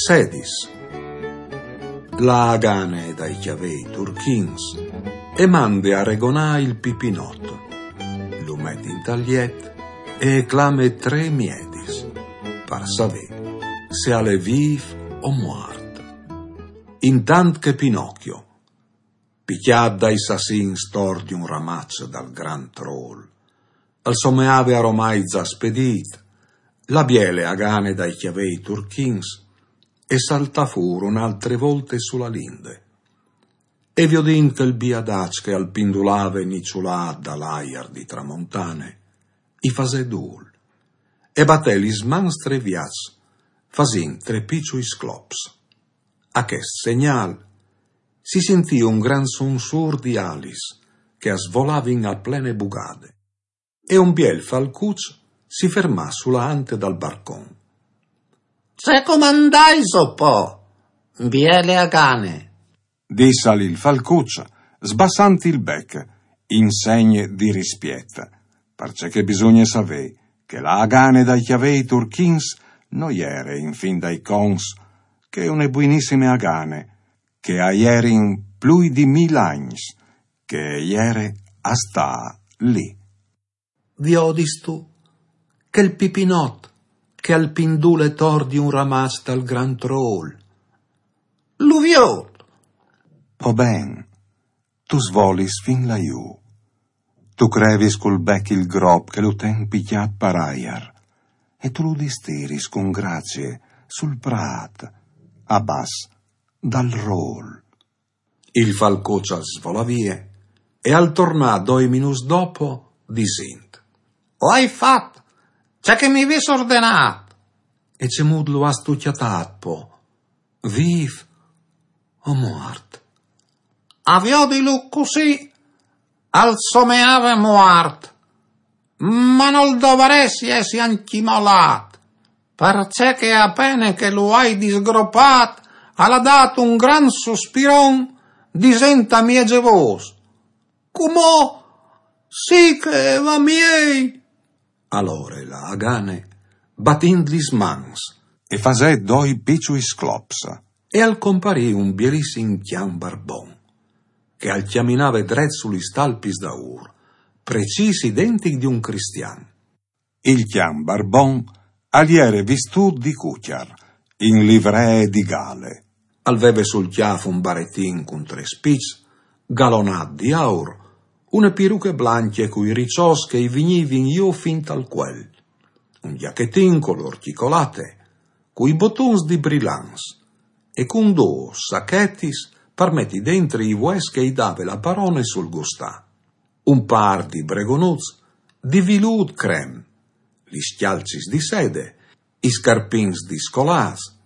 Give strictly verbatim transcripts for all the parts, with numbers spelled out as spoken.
Sedis. La Agane dai cjavei turchins e mande a regonâ il Pipinot. Lu met intal jet e clame trê miedis par savê se al è vîf o muart. Intant che Pinocchio, picjât dai sassins tor di un ramaç dal grant rôl, al someave aromai za spedît, la biele Agane dai cjavei turchins e saltà fûr une altre volte su la linde. E viodint chel biadaç che al pindulave niçulât dal aiar di tramontane, i fasè dûl e batè lis mans trê viaçs, fasint trê piçui sclops. A chest segnâl si sintì un grant sunsûr di alis che a svolavin a plene bugade. E un biel falcuç si fermà su la ante dal barcon. Ce comandaiso po, biele Agane? Dissal il falcuç, sbassant il bec, in segn di rispiet, parcè che bisugne savê che la Agane dai cjavei turchins no jere in fin dai conts che une buinissime Agane, che a jerin plui di mil agns che e jere a stâ li. Viodistu chel Pipinot che al pindule tor di un ramaç dal grant rôl? Lu viôt. Po ben, tu svolis fin lajù. Tu crevis cul bec il grop che lu ten picjât par aiar, e tu lu distiris cun gracie sul prât, a bas dal rôl. Il falcuç al svolà vie e al tornà doi minûts dopo, disint: O ai fat ce che mi vês ordenât. E cemût lu âstu cjatât po? Vîf o muart? A viodilu cussì, al someave muart, ma nol dovarès jessi ancjemò lât, parcè che a pene che lu ai disgropât, al à dât un grant suspiron, disint a mieze vôs: Cumò sì che e va miei. Alore la Agane, batint lis mans, e fasè doi piçui sclops, e al comparì un bielissim cjan barbon, che al cjaminave dret su lis talpis daûr, precîs identic di un cristian. Il cjan barbon al jere vistût di cucjar, in livree di gale. Al veve sul cjâf un baretin cun trê spiçs, galonât di aur, une piruche blancje cui riçots che i vignivin jù fin tal cuel, un gjachetin colôr cjicolate, cui botons di brilants, e cun dôs sachetis par meti dentri i vues che i dave la parone sul gustâ, un pâr di bregonuts di vilût crem, lis cjalcis di sede, i scarpins di scolâts,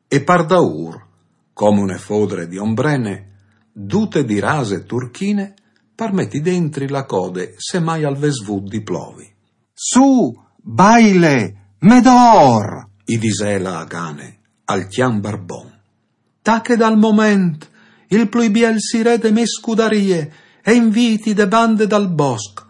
e par daûr, come une fodre di ombrene, dute di rase turchine, par meti dentri la code se mai al ves vût di plovi. Sù, baile, Medor! I disè la Agane al cjan barbon. Tache dal moment il plui biel sirè de mê scudarie e inviti de bande dal bosc.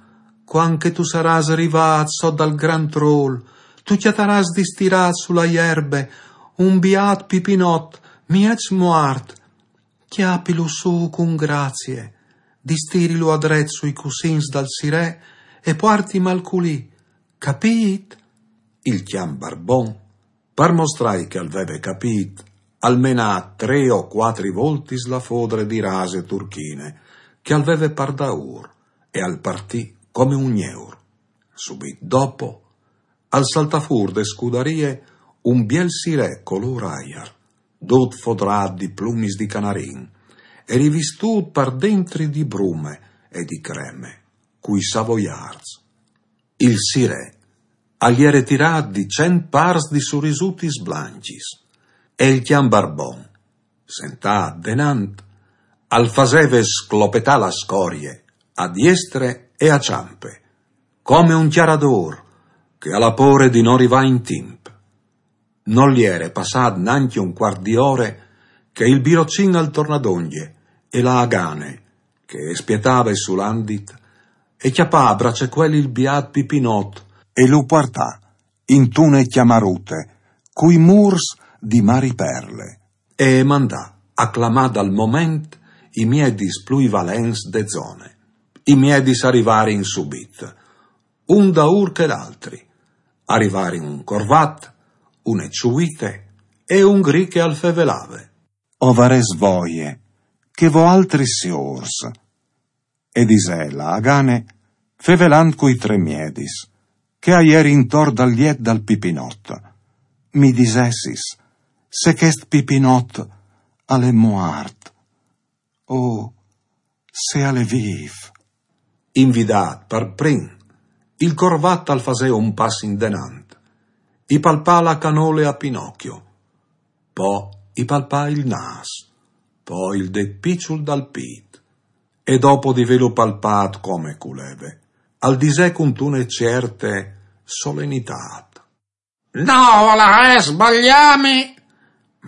Cuant che tu sarâs rivât sot dal grant rôl, tu cjatarâs distirât su la jerbe un biât Pipinot, mieç muart. Cjapilu sù cun gracie, distirilu adret sui cussins dal sirè e puartimal culì, capît? Il cjan barbon, par mostrâi che al veve capît, al menà trê o cuatri voltis la fodre di rase turchine che al veve par daûr e al partì come un gneur. Subit dopo, al saltà fûr de scudarie un biel sirè colôr aiar, dut fodrât di plumis di canarin e rivistût par dentri di brume e di creme, cui savoiarts. Il sirè al jere tirât di cent pârs di surisutis blancjis, e il cjan barbon, sentât denant, al faseve sclopetâ la scorie a diestre e a çampe, come un cjaradôr che al à pôre di no rivâ in timp. Nol jere passât nancje un cuart di ore che il birocin al tornà dongje e la Agane, che e spietave sul andit, e cjapà a bracecuel il biât Pipinot e lu puartà intune cjamarute, cui mûrs di Mari Perle. E mandà a clamà dal moment i miedis plui valents de zone. I miedis a rivarin subit, un daur che l'altri. A rivarin un corvat, une ciuite e un gri che al fevelave. O varès voie che voaltris siôrs, e disè la Agane, fevelant cui tre miedis, che a jerin intor dal liet dal Pipinot, mi disessis se chest Pipinot al è muart o se al è vîf. Invidât par prin, il corvat al fasè un pas indenant, i palpà la canole a Pinocchio, po i palpà il nâs, po il det piçul dal pît, e dopo di vêlu palpât come che 'l voleve, al disè cuntune cierte solenitât: No volarès sbagliâmi,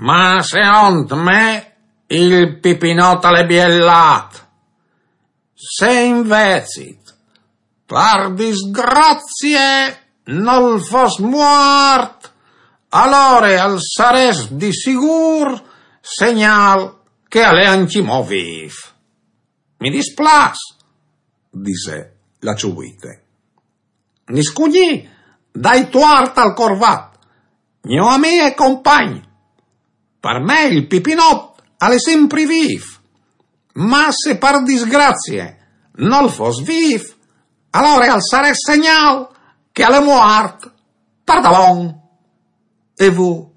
ma seont me il Pipinot al è biel lât. Se invezit, par disgrazie, nol fos muart, alore al sarès di sigûr segnâl che al è ancjemò vîf. Mi displâs, disè la ciuite. Niscugnì dai tuart al corvat, gno amì e compagn. Par me il Pipinot al è simpri vîf, ma se par disgrazie nol fos vîf, alore al sarès segnâl che al è muart pardabon. E vô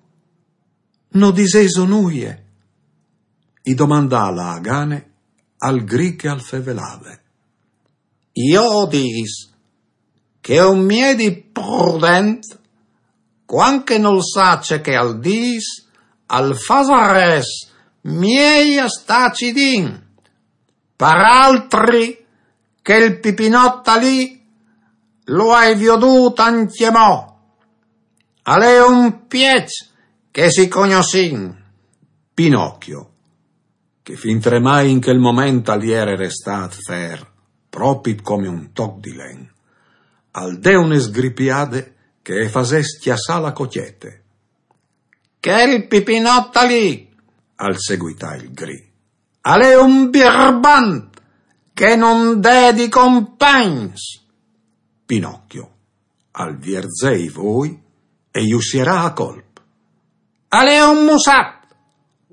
no disêso nuie? I domandà la Agane al gri che al fevelave. Jo o dîs che un miedi prudent, cuant che nol sa ce che al dîs, al fasarès miei a stâ cidin. Par altri, chel Pipinot li lu ai viodût ancjemò. Al è un pieç che si cognossìn. Pinocchio, che fintremai in chel moment al jere restât fer, propit come un toc di len, al dè une sgripiade che e fasè scjassâ la cocjete. Chel Pipinot li, al seguità il gri, al è un birbant che nol dè di compagns. Pinocchio al vierzè i voi e ju sierà a colp. Al è un mussat,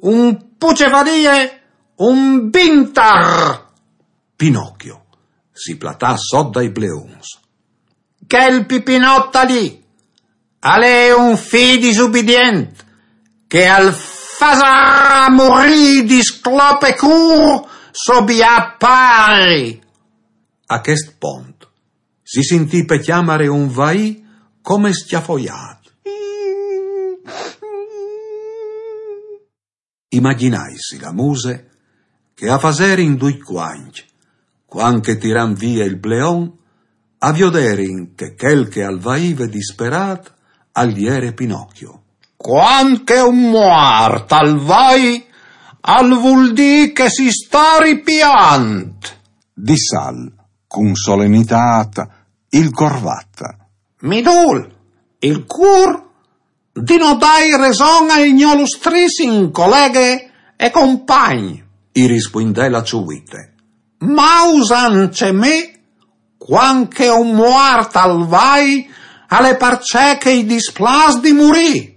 un pucefadie, un bintar. Pinocchio si platà sot dai bleons. Chel Pipinot li al è un fi disubidient che al fasarà murî di sclopecûr so biât pari. A chest pont si sintì pe cjamare un vaî come scjafoiât. Imagjinaitsi la muse che a faserin ducj cuancj, cuant che tirant vie il bleon, a vioderin che chel che al vaive disperât al jere Pinocchio. Cuant che un muart al vai, al vûl dî che si sta ripiant, dissal cun solenitât il corvat. Mi dûl il cûr di no dâi reson al gno lustrissim coleghe e compagn, i rispuindè la ciuite. Ma usant ce me, cuant che un muart al vai, al è parcè che i displâs di murî.